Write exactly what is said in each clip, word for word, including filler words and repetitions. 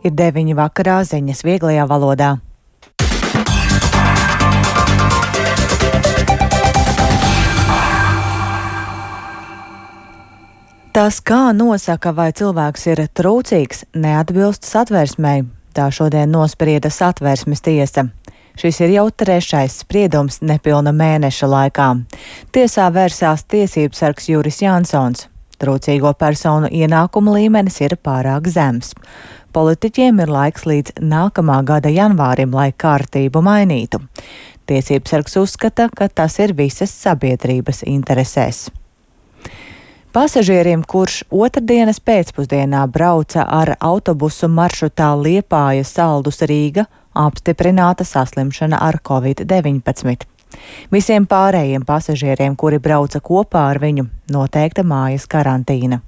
Ir deviņi vakarā, ziņas vieglajā valodā. Tas, kā nosaka, vai cilvēks ir trūcīgs, neatbilst satversmei. Tā šodien nosprieda Satversmes tiesa. Šis ir jau trešais spriedums nepilna mēneša laikā. Tiesā vērsās tiesības sargs Juris Jansons. Trūcīgo personu ienākumu līmenis ir pārāk zems. Politiķiem ir laiks līdz nākamā gada janvārim, lai kārtību mainītu. Tiesības sargs uzskata, ka tas ir visas sabiedrības interesēs. Pasažierim, kurš otrdienas pēcpusdienā brauca ar autobusu maršrutā Liepāja Saldus Rīga, apstiprināta saslimšana ar covid deviņpadsmit. Visiem pārējiem pasažieriem, kuri brauca kopā ar viņu, noteikta mājas karantīna.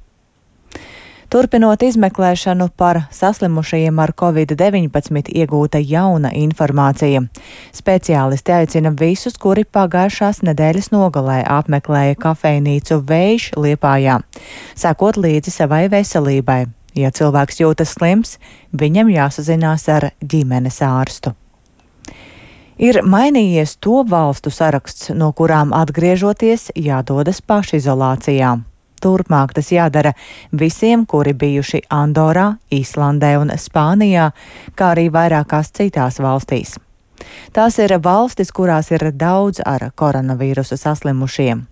Turpinot izmeklēšanu par saslimušajiem ar covid deviņpadsmit, iegūta jauna informācija. Speciālisti aicina visus, kuri pagājušās nedēļas nogalē apmeklēja kafejnīcu Vējš Liepājā, sekot līdzi savai veselībai. Ja cilvēks jūtas slims, viņam jāsazinās ar ģimenes ārstu. Ir mainījies to valstu saraksts, no kurām atgriežoties jādodas pašizolācijā. Turpmāk tas jādara visiem, kuri bijuši Andorā, Īslandē un Spānijā, kā arī vairākās citās valstīs. Tās ir valstis, kurās ir daudz ar koronavīrusu saslimušiem.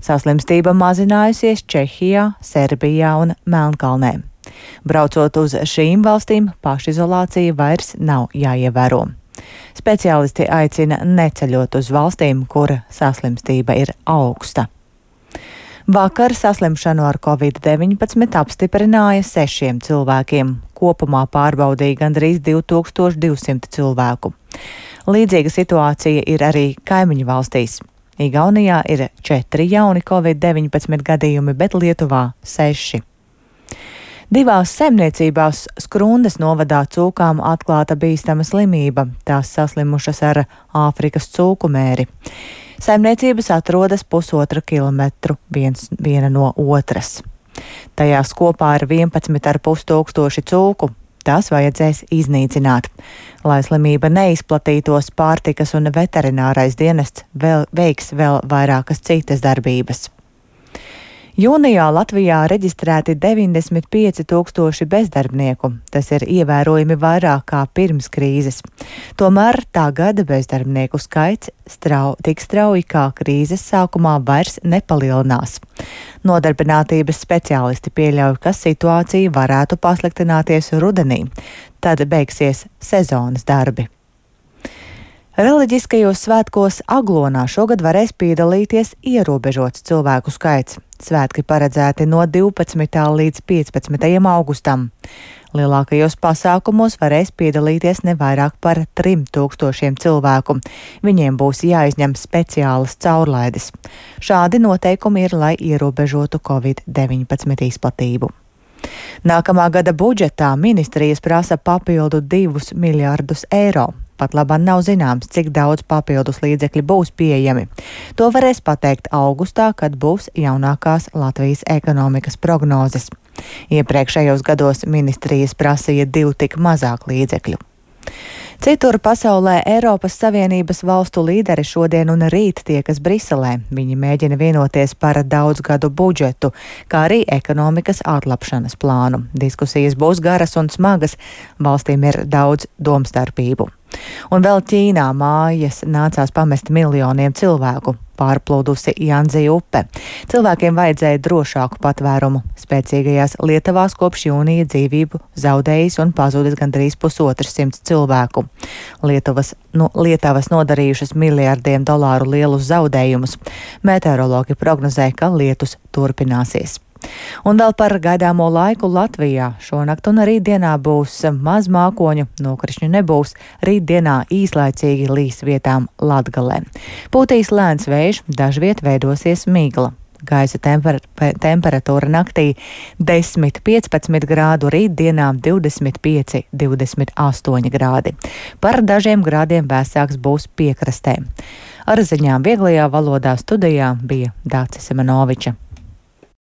Saslimstība mazinājusies Čehijā, Serbijā un Melnkalnē. Braucot uz šīm valstīm, pašizolācija vairs nav jāievēro. Speciālisti aicina neceļot uz valstīm, kur saslimstība ir augsta. Vakar saslimšanu ar covid deviņpadsmit apstiprināja sešiem cilvēkiem. Kopumā pārbaudīja gandrīz divi tūkstoši divsimt cilvēku. Līdzīga situācija ir arī kaimiņu valstīs. Igaunijā ir četri jauni covid deviņpadsmit gadījumi, bet Lietuvā seši. Divās saimniecībās Skrundas novadā cūkām atklāta bīstama slimība. Tās saslimušas ar Āfrikas cūku mēri. Saimniecības atrodas pusotra kilometru viens, viena no otras. Tajās kopā ir vienpadsmit ar pus tūkstoši cūku. Tās vajadzēs iznīcināt. Lai slimība neizplatītos, pārtikas un veterinārais dienests vēl veiks vēl vairākas citas darbības. Jūnijā Latvijā reģistrēti deviņdesmit pieci tūkstoši bezdarbnieku. Tas ir ievērojami vairāk kā pirms krīzes. Tomēr tagad bezdarbnieku skaits strau, tik strauji kā krīzes sākumā vairs nepalielinās. Nodarbinātības speciālisti pieļauj, ka situācija varētu pasliktināties rudenī. Tad beigsies sezonas darbi. Reliģiskajos svētkos Aglonā šogad varēs piedalīties ierobežots cilvēku skaits. Svētki paredzēti no divpadsmitā līdz piecpadsmitajam augustam. Lielākajos pasākumos varēs piedalīties ne vairāk par trim tūkstošiem cilvēku. Viņiem būs jāizņem speciālas caurlaides. Šādi noteikumi ir, lai ierobežotu covid deviņpadsmit izplatību. Nākamā gada budžetā ministrijas prasa papildu divus miljardus eiro. Pat labāk nav zināms, cik daudz papildus līdzekļi būs pieejami. To varēs pateikt augustā, kad būs jaunākās Latvijas ekonomikas prognozes. Iepriekšējos gados ministrijas prasīja divu tik mazāk līdzekļu. Citur pasaulē Eiropas Savienības valstu līderi šodien un rīt tiekas Briselē. Viņi mēģina vienoties par daudzgadu budžetu, kā arī ekonomikas atlapšanas plānu. Diskusijas būs garas un smagas, valstīm ir daudz domstarpību. Un vēl Ķīnā mājas nācās pamest miljoniem cilvēku. Pārplūdusi Janzi upe. Cilvēkiem vajadzēja drošāku patvērumu. Spēcīgajās Lietuvās kopš jūnija dzīvību zaudējis un pazudis gandrīz pusotrs simts cilvēku. Lietuvas, no, Lietavas nodarījušas miljardiem dolāru lielus zaudējumus. Meteorologi prognozē, ka lietus turpināsies. Un vēl par gaidāmo laiku Latvijā. Šonakt un rītdienā būs maz mākoņu, nokrišņu nebūs. Rītdienā īslaicīgi līs vietām Latgalē. Pūtīs lēns vējš, dažviet veidosies migla. Gaisa temper temperatūra naktī desmit piecpadsmit grādu, rītdienā divdesmit pieci divdesmit astoņi grādi. Par dažiem grādiem vēsāks būs piekrastē. Ar ziņām vieglajā valodā studijā bija Dācis Semenoviča.